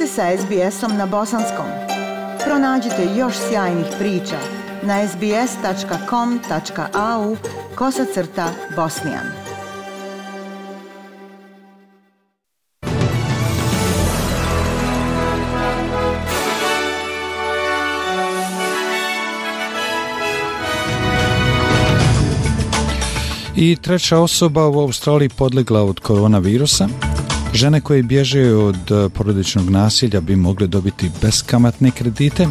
ste sa SBS-om na bosanskom. Pronađite još sjajnih priča na sbs.com.au/bosnian. I treća osoba u Australiji podlegla od koronavirusa. Žene koje bježe od porodičnog nasilja bi mogle dobiti beskamatne kredite,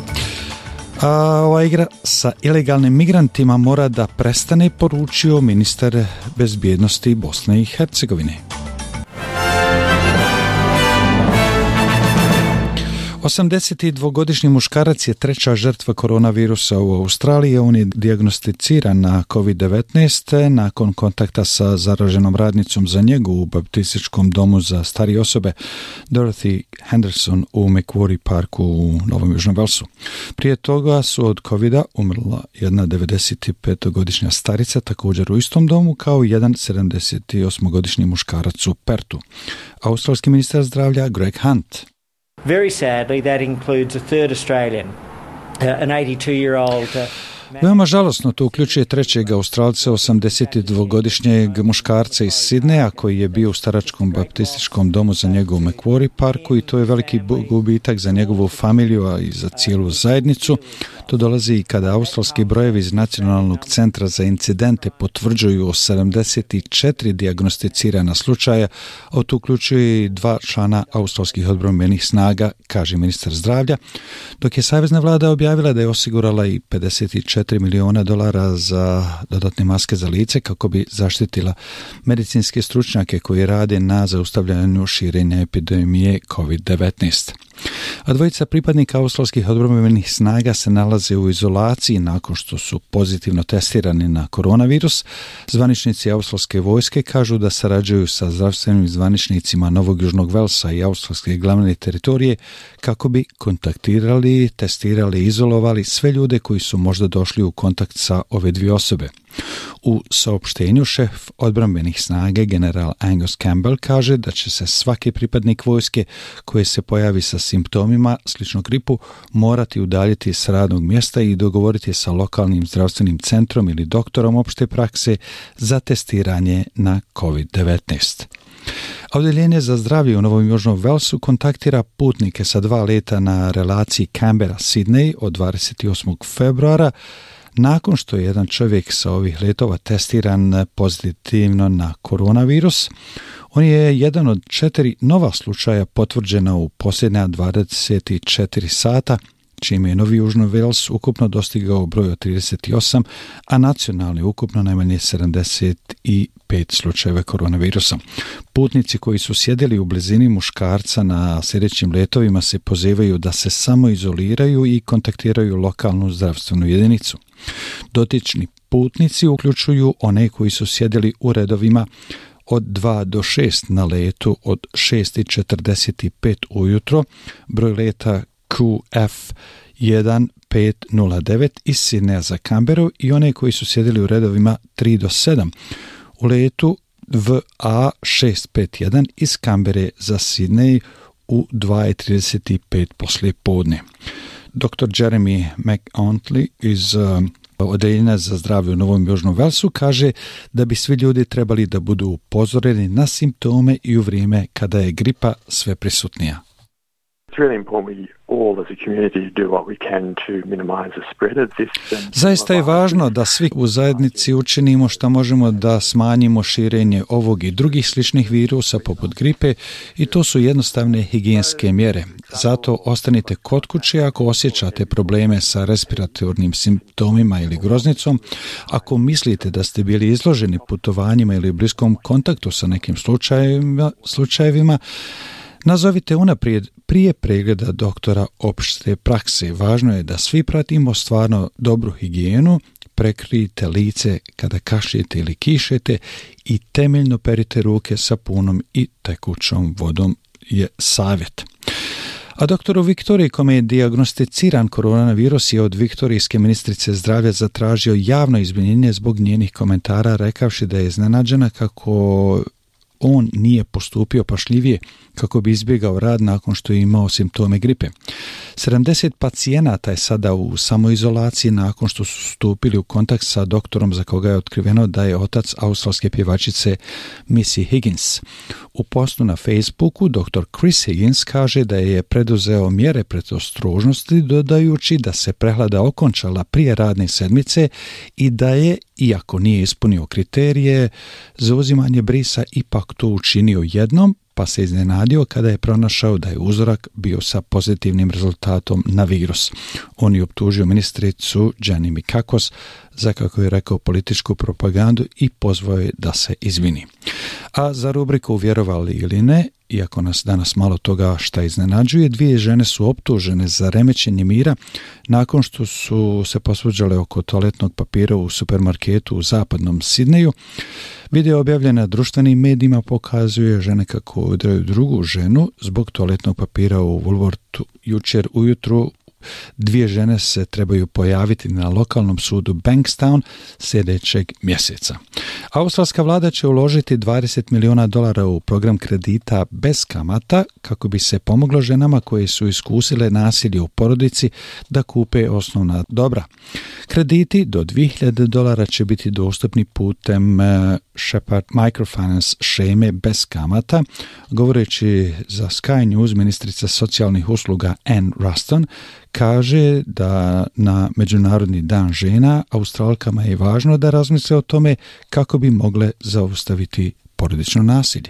a ova igra sa ilegalnim migrantima mora da prestane, poručio ministar bezbjednosti Bosne i Hercegovine. 82-godišnji muškarac je treća žrtva koronavirusa u Australiji. On je dijagnosticiran na COVID-19 nakon kontakta sa zaraženom radnicom za njegu u baptističkom domu za starije osobe Dorothy Henderson u Macquarie Parku u Novom Južnom Velsu. Prije toga su od COVID-a umrla jedna 95-godišnja starica također u istom domu kao jedan 78-godišnji muškarac u Pertu. Australski ministar zdravlja Greg Hunt. Very sadly, that includes a third Australian, an 82-year-old. Veoma žalosno to uključuje trećeg Australca, 82-godišnjeg muškarca iz Sidneja koji je bio u staračkom baptističkom domu za njegu u Macquarie Parku i to je veliki gubitak za njegovu familiju, a i za cijelu zajednicu. To dolazi i kada australski brojevi iz Nacionalnog centra za incidente potvrđuju 74 dijagnosticirana slučaja, a to uključuje i 2 člana australskih odbrambenih snaga, kaže ministar zdravlja, dok je savezna vlada objavila da je osigurala i $54 miliona za dodatne maske za lice kako bi zaštitila medicinske stručnjake koji rade na zaustavljanju širenja epidemije COVID-19. A dvojica pripadnika australskih odbrambenih snaga se nalaze u izolaciji nakon što su pozitivno testirani na koronavirus. Zvaničnici australske vojske kažu da sarađuju sa zdravstvenim zvaničnicima Novog Južnog Velsa i australske glavne teritorije kako bi kontaktirali, testirali i izolovali sve ljude koji su možda došli u kontakt sa ove dvije osobe. U saopštenju šef odbrambenih snage general Angus Campbell kaže da će se svaki pripadnik vojske koji se pojavi sa simptomima slično gripu morati udaljiti s radnog mjesta i dogovoriti sa lokalnim zdravstvenim centrom ili doktorom opšte prakse za testiranje na COVID-19. Odjeljenje za zdravlje u Novom Južnom Velsu kontaktira putnike sa 2 leta na relaciji Canberra-Sydney od 28. februara nakon što je jedan čovjek sa ovih letova testiran pozitivno na koronavirus. On je jedan od 4 nova slučaja potvrđena u posljednja 24 sata, čime je Novi Južni Vels ukupno dostigao broj od 38, a nacionalni ukupno najmanje 75 slučajeva koronavirusa. Putnici koji su sjedili u blizini muškarca na sljedećim letovima se pozivaju da se samo izoliraju i kontaktiraju lokalnu zdravstvenu jedinicu. Dotični putnici uključuju one koji su sjedili u redovima od 2 do 6 na letu od 6:45 ujutro, broj leta QF1509 iz Sidneja za Canberru i one koji su sjedili u redovima 3 do 7 u letu VA651 iz Canberre za Sidney u 2:35 poslije podne. Dr. Jeremy McAuntley iz Odjeljenja za zdravlje u Novom Južnom Velsu kaže da bi svi ljudi trebali da budu upozoreni na simptome i u vrijeme kada je gripa sve prisutnija. Zaista je važno da svi u zajednici učinimo što možemo da smanjimo širenje ovog i drugih sličnih virusa poput gripe i to su jednostavne higijenske mjere. Zato ostanite kod kuće ako osjećate probleme sa respiratornim simptomima ili groznicom. Ako mislite da ste bili izloženi putovanjima ili bliskom kontaktu sa nekim slučajevima, nazovite unaprijed prije pregleda doktora opšte prakse. Važno je da svi pratimo stvarno dobru higijenu, prekrijte lice kada kašljete ili kišete i temeljno perite ruke sapunom i tekućom vodom je savjet. A doktoru Viktoriji, kome je dijagnosticiran koronavirus, je od viktorijske ministrice zdravlja zatražio javno izvinjenje zbog njenih komentara, rekavši da je iznenađena kako on nije postupio pašljivije kako bi izbjegao rad nakon što je imao simptome gripe. 70 pacijenata je sada u samoizolaciji nakon što su stupili u kontakt sa doktorom za koga je otkriveno da je otac australske pjevačice Missy Higgins. U postu na Facebooku dr. Chris Higgins kaže da je preduzeo mjere predostrožnosti dodajući da se prehlada okončala prije radne sedmice i da je, iako nije ispunio kriterije za uzimanje brisa, ipak to učinio jednom, pa se iznenadio kada je pronašao da je uzorak bio sa pozitivnim rezultatom na virus. On je optužio ministricu Jenny Mikakos za, kako je rekao, političku propagandu i pozvao je da se izvini. A za rubriku Vjerovali ili ne, iako nas danas malo toga šta iznenađuje, 2 žene su optužene za remećenje mira nakon što su se posvađale oko toaletnog papira u supermarketu u zapadnom Sidneju. Video objavljen na društvenim medijima pokazuje žene kako udaraju drugu ženu zbog toaletnog papira u Woolworthu jučer ujutru. 2 žene se trebaju pojaviti na lokalnom sudu Bankstown sljedećeg mjeseca. Australska vlada će uložiti $20 milijuna u program kredita bez kamata kako bi se pomoglo ženama koje su iskusile nasilje u porodici da kupe osnovna dobra. Krediti do $2,000 će biti dostupni putem Shepherd Microfinance šeme bez kamata. Govoreći za Sky News, ministrica socijalnih usluga Anne Ruston kaže da na Međunarodni dan žena Australkama je važno da razmisle o tome kako bi mogle zaustaviti porodično nasilje.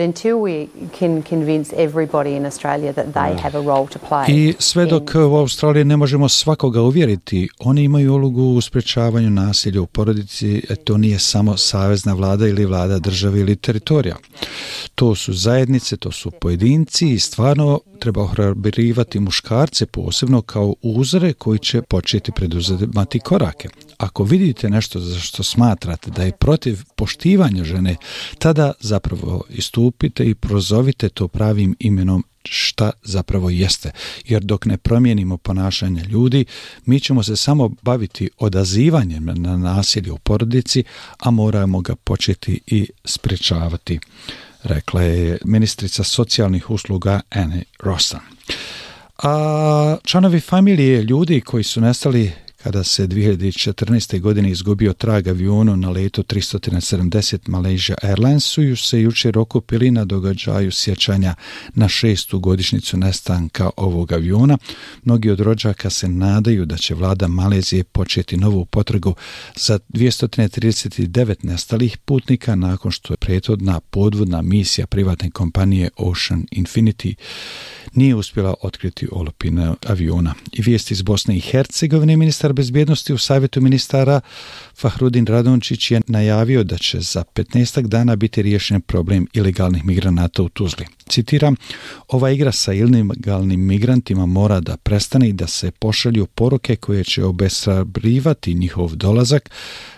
Until we can convince everybody in Australia that they have a role to play. I sve dok u Australiji ne možemo svakoga uvjeriti, oni imaju ulogu u sprječavanju nasilja u porodici, to nije samo savezna vlada ili vlada države ili teritorija. To su zajednice, to su pojedinci i stvarno treba ohrabrivati muškarce posebno kao uzore koji će početi preduzimati korake. Ako vidite nešto za što smatrate da je protiv poštivanja žene, tada zapravo istupite i prozovite to pravim imenom šta zapravo jeste. Jer dok ne promijenimo ponašanje ljudi, mi ćemo se samo baviti odazivanjem na nasilje u porodici, a moramo ga početi i sprječavati, rekla je ministrica socijalnih usluga Anne Ruston. A članovi familije ljudi koji su nestali kada se 2014. godine izgubio trag avionu na letu 370 Malaysia Airlinesu se jučer okupili na događaju sjećanja na 6. godišnjicu nestanka ovog aviona. Mnogi od rođaka se nadaju da će vlada Malezije početi novu potragu za 239 nestalih putnika nakon što je prethodna podvodna misija privatne kompanije Ocean Infinity nije uspjela otkriti olupine aviona. I vijesti iz Bosne i Hercegovine, ministar bezbjednosti u savjetu ministara Fahrudin Radončić je najavio da će za 15 dana biti riješen problem ilegalnih migranata u Tuzli. Citiram, ova igra sa ilegalnim migrantima mora da prestane i da se pošalju poruke koje će obeshrabrivati njihov dolazak,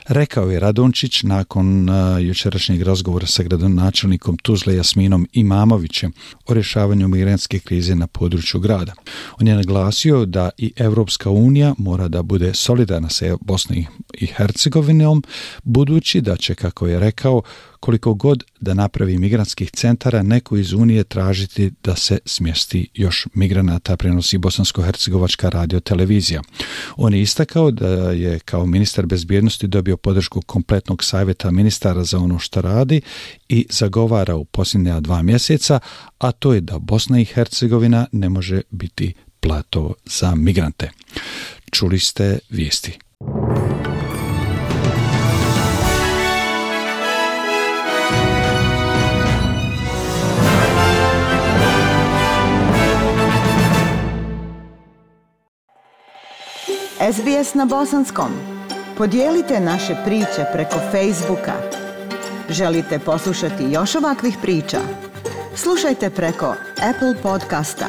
rekao je Radončić nakon jučerašnjeg razgovora sa gradonačelnikom Tuzle Jasminom Imamovićem o rješavanju migrantske krize na području grada. On je naglasio da i Europska unija mora da bude solidarna sa Bosnom i Hercegovinom, budući da će, kako je rekao, koliko god da napravi migrantskih centara, neko iz Unije tražiti da se smjesti još migranata, prenosi Bosansko-hercegovačka radiotelevizija. On je istakao da je kao ministar bezbjednosti dobio podršku kompletnog savjeta ministara za ono što radi i zagovara u posljednja 2 mjeseca, a to je da Bosna i Hercegovina ne može biti plato za migrante. Čuli ste vijesti. SBS na bosanskom. Podijelite naše priče preko Facebooka. Želite poslušati još ovakvih priča? Slušajte preko Apple podcasta,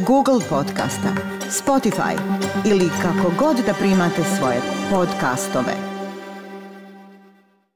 Google podcasta, Spotify ili kako god da primate svoje podcastove.